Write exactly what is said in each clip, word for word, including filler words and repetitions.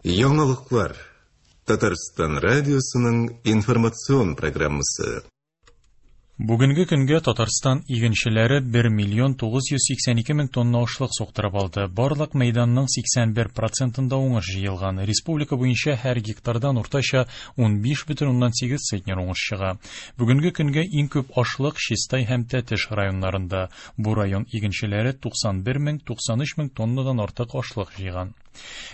Яңалыклар. Татарстан радиосының информацион программасы. Бүгенге көнгә Татарстан игенчеләре бер миллион тугыз йөз сиксән ике мең тонна ашлык суктырып алды. Барлык мәйданның сиксән бер процентында уңыш җыелган. Республика буенча һәр гектардан уртача унбиш бөтен уннан сигез центнер уңыш чыга. Бүгенге көнгә иң күп ашлык Чистай һәм Тәтеш районнарында. Бу район игенчеләре туксан бер мең туксан өч мең тоннадан артык ашлык җыйган.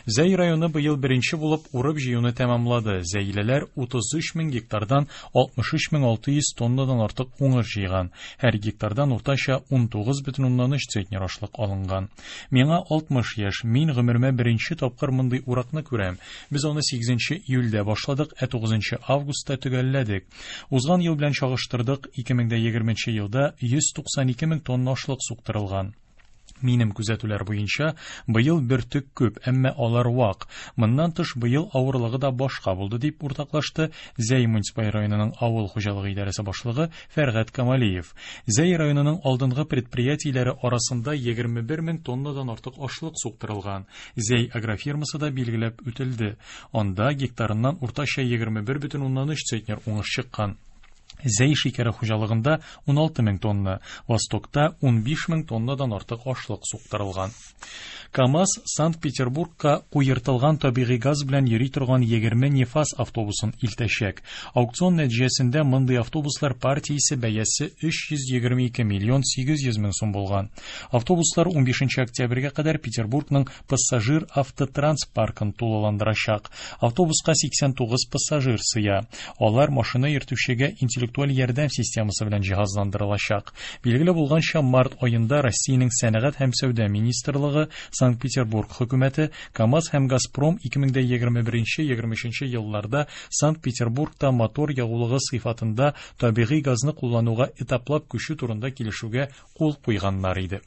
Зәй районы быел беренче булып урып җыюны тәмамлады. Зәйлеләр утыз өч мең гектардан алтмыш өч мең алты йөз тоннадан артык уңыш җыйган. Һәр гектардан уртача унтугыз бөтен уннан өч центнер ашлык алынган. Миңа алтмыш яшь, мин гомеремә беренче тапкыр мондый уракны күрәм. Без аны сигезенче июльдә башладык, ә тугызынчы августта төгәлләдек. Узган ел белән чагыштырдык, ике мең дә егерменче елда йөз туксан ике мең тонна ашлык суктырылган. Минем күзәтүләр буенча, быел бөртек күп, әмма алар вак. Моннан тыш быел авырлыгы да башка булды, дип уртаклашты Зәй муниципаль районының авыл хуҗалыгы идарәсе башлыгы Фәргать Камалиев. Зәй районының алдынгы предприятиеләре арасында егерме бер мең тоннадан артык ашлык суктырылган. Зәй агрофирмасы да билгеләп үтелде. Анда гектарыннан уртача егерме бер бөтен уннан өч центнер уңыш чыккан. Зәй шикәре хуҗалыгында уналты мең тонна, Востокта унбиш мең тоннадан артык ашлык суктырылган. КАМАЗ Санкт-Петербургка куертылган табигый газ белән йөри торган егерме нефаз автобусын илтәчәк. Аукцион нәтиҗәсендә мондый автобуслар партиясе бәясе өч йөз егерме ике миллион сигез йөз мең сум булган. Автобуслар унбишенче октябрьгә кадәр Петербургның пассажир автотранс паркын тулыландырачак. Автобуска сиксән тугыз пассажир сыя. Алар машина йөртүчегә интеллектуаль ярдәм системасы белән җиһазландырылачак. Билгеле булганча, март аенда Россиянең сәнәгать һәм сәүдә министрлыгы, Санкт-Петербург хөкүмәте, КАМАЗ һәм Газпром ике мең дә егерме беренче, егерме өченче елларда Санкт-Петербургта мотор ягулыгы сыйфатында табигый газны куллануга этаплап күчү турында килешүгә кул куйганнар иде.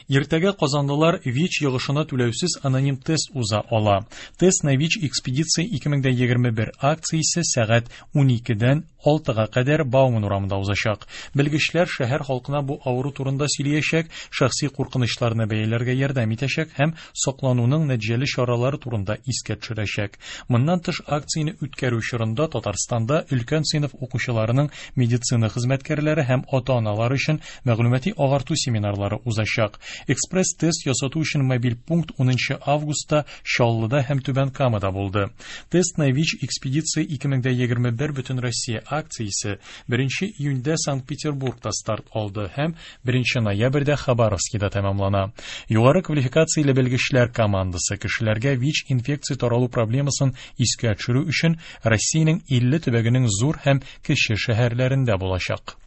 Иртәгә казанлылар ВИЧ йогышына түләүсез аноним тест уза ала. Тест на ВИЧ экспедиция ике мең дә егерме бер акциясе сәгать уникедән алтыга кадәр Бауман урамында узачак. Белгечләр шәһәр халкына бу авыру турында сөйләячәк, шәхси куркынычларны бәяләргә ярдәм итәчәк һәм саклануның нәтиҗәле чаралары турында искә төшерәчәк. Моннан тыш акцияне үткәрү чорында Татарстанда өлкән сыйныф укучыларының медицина хезмәткәрләре һәм ата-аналар өчен мәгълүмати агарту семинарлары узачак. Экспресс-тест ясату өчен мобиль пункт унынчы августта Чаллыда һәм Түбән Камада булды. Тест на ВИЧ экспедиция ике мең дә егерме бер бөтен Россия акциясе беренче июньдә Санкт-Петербургта старт алды һәм беренче ноябрьдә Хабаровскида тәмамлана. Югары квалификацияле белгечләр командасы кешеләргә ВИЧ инфекция таралу проблемасын искә төшерү өчен Россиянең илле төбәгенең зур һәм кече шәһәрләрендә булачак.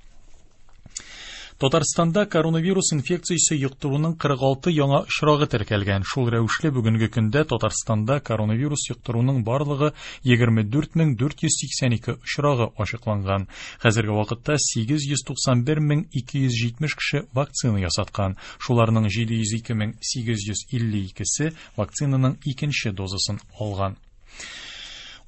Татарстанда коронавирус инфекциясе йоктыруның кырык алты яңа очрагы теркәлгән. Шул рәвешле бүгенге көндә Татарстанда коронавирус йоктыруның барлыгы егерме дүрт мең дүрт йөз сиксән ике очрагы ачыкланган. Хәзерге вакытта сигез йөз туксан бер мең ике йөз җитмеш кеше вакцина ясаткан. Шуларның җиде йөз ике мең сигез йөз илле икесе вакцинаның икенче дозасын алган.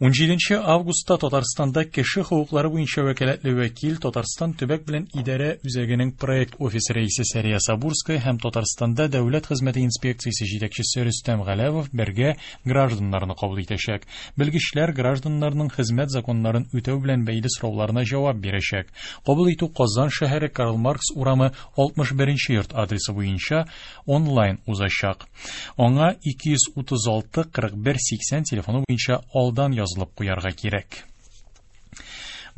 Унҗиденче августта Татарстанда кеше хокуклары буенча вәкаләтле вәкил Татарстан төбәк белән идарә үзәгенең проект офисы рәисе Сәрия Сабурская һәм Татарстанда дәүләт хезмәте инспекциясе җитәкчесе Рөстәм Галәвов бергә гражданнарны кабул итәчәк. Белгечләр гражданнарның хезмәт законнарын үтәү белән бәйле сорауларына җавап бирәчәк. Кабул итү Казан шәһәре Карл Маркс урамы алтмыш беренче йорт адресы буенча онлайн узачак. Аңа ике йөз утыз алты кырык бер сиксән телефоны буенча алдан язылып куярга кирәк.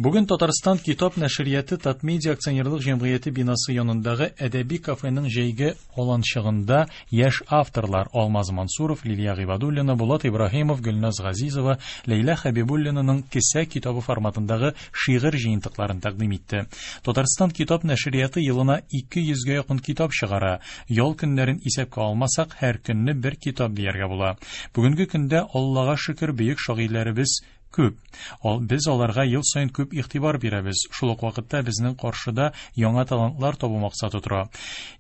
Бүген Татарстан китап нәшрияты Татмедиа акционерлык җәмгыяте бинасы янындагы әдәби кафеның җәйге аланчыгында яшь авторлар Алмаз Мансуров, Лилия Гыйбадуллина, Булат Ибраһимов, Гөлназ Газизова, Ләйлә Хәбибуллинаның кесә китабы форматындагы шигырь җыентыкларын тәкъдим итте. Татарстан китап нәшрияты елына ике йөзгә якын китап чыгара. Ял көннәрен исәпкә алмасак, һәр көнне бер китап дияргә була. Бүгенге көндә Аллага шөкер бөек шагыйрьләребез күп. Ал, без аларга ел саен күп игътибар бирәбез. Шул ук вакытта безнең каршыда яңа талантлар табу максаты тора.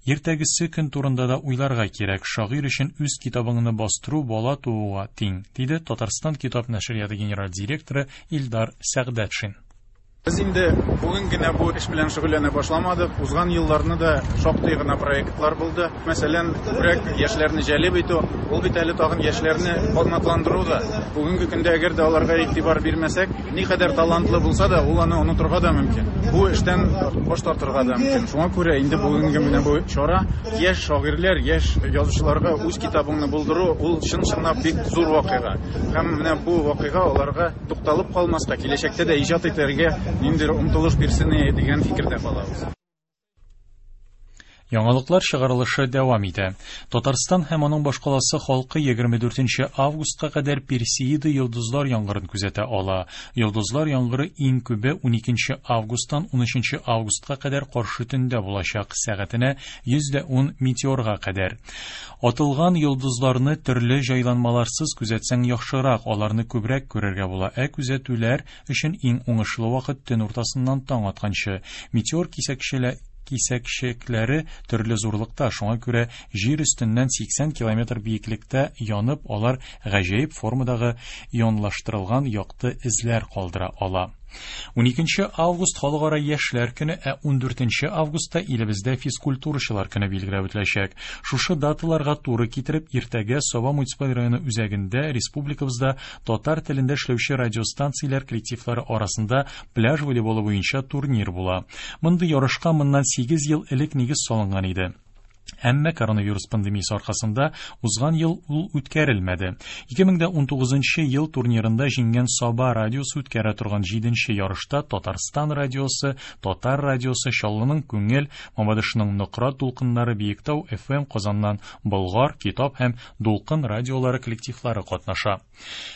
Иртәгесе көн турында да уйларга кирәк. Шагыйрь өчен үз китабыңны бастыру бала тууга тиң, диде Татарстан китап нәшрияты генераль директоры Илдар Сәгъдәтшин. Без инде бүген генә бу эш белән шөгыльләнә башламадык. Узган елларны да шактый гына проектлар булды. Мәсәлән, күбрәк яшьләрне җәлеп итү, ул бит әле тагын яшьләрне канатландыру да. Бүгенге көндә әгәр дә аларга игътибар бирмәсәк, никадәр талантлы булса да, ул аны онытырга да мөмкин. Бу эштән баш тартырга да мөмкин. Шуңа күрә инде бүгенге менә бу чара яшь шагыйрьләр, яшь язучыларга үз китабыңны булдыру, ул чын-чынлап бик зур вакыйга. Һәм менә бу вакыйга аларга тукталып калмаска, киләчәктә дә иҗат итәргә ниндидер омтылыш бирсен дигән фикердә калабыз. Яңалыклар чыгарылышы дәвам итә. Татарстан һәм аның башкаласы халкы егерме дүртенче августка кадәр Персеида йолдызлар яңгырын күзәтә ала. Йолдызлар яңгыры иң күбе уникенче августтан унөченче августка кадәр каршы төндә булачак, сәгатенә йөз дә ун метеорга кадәр. Атылган йолдызларны төрле җайланмаларсыз күзәтсәң яхшырак, аларны күбрәк күрергә була. Ә күзәтүләр өчен иң уңышлы вакыт төн уртасыннан таң атканчы. Метеор кисәкчеләр кисәкчекләре төрле зурлыкта, шуңа күрә җир өстеннән сиксән километр биеклектә янып, алар гаҗәеп формадагы ионлаштырылган якты эзләр калдыра ала. Уникенче август халыкара яшьләр көне, ә ундүртенче августта илебездә физкультурачылар көне билгеләп үтеләчәк. Шушы даталарга туры китереп, иртәгә Саба муниципаль районы үзәгендә республикабызда татар телендә эшләүче радиостанцияләр коллективлары арасында пляж волейболы буенча турнир була. Мондый ярышка моннан сигез ел элек нигез салынган иде. Әмма коронавирус пандемиясе аркасында узган ел ул үткәрелмәде. Ике мең дә унтугызынчы ел турнирында җиңгән Саба радиосы үткәрә торган җиденче ярышта Татарстан радиосы, Татар радиосы, Чаллының Күңел, Мамадышның Нократ дулкыннары, Биектау эф эм, Казаннан Болгар, Китап һәм Дулкын радиолары коллективлары катнаша.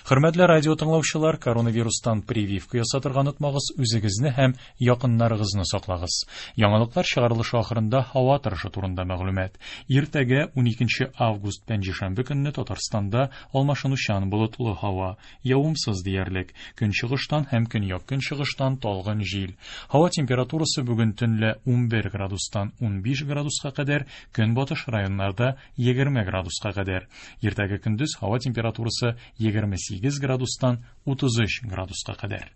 Хөрмәтле радио тыңлаучылар, коронавирустан прививка ясатырга онытмагыз, үзегезне һәм якыннарыгызны саклагыз. Яңалыклар чыгарылышы ахырында һава торышы турында мәгълүмат. Иртәгә уникенче август пәнҗешәмбе көнне Татарстанда алмашынучан болытлы һава, явымсыз диярлек, көнчыгыштан һәм көньяк-көнчыгыштан талгын җил. Һава температурасы бүген төнлә унбер градустан унбиш градуска кадәр, көнбатыш районнарда егерме градуска кадәр. Иртәгә көндез һава температурасы егерме сигез градустан утыз өч градуска кадәр.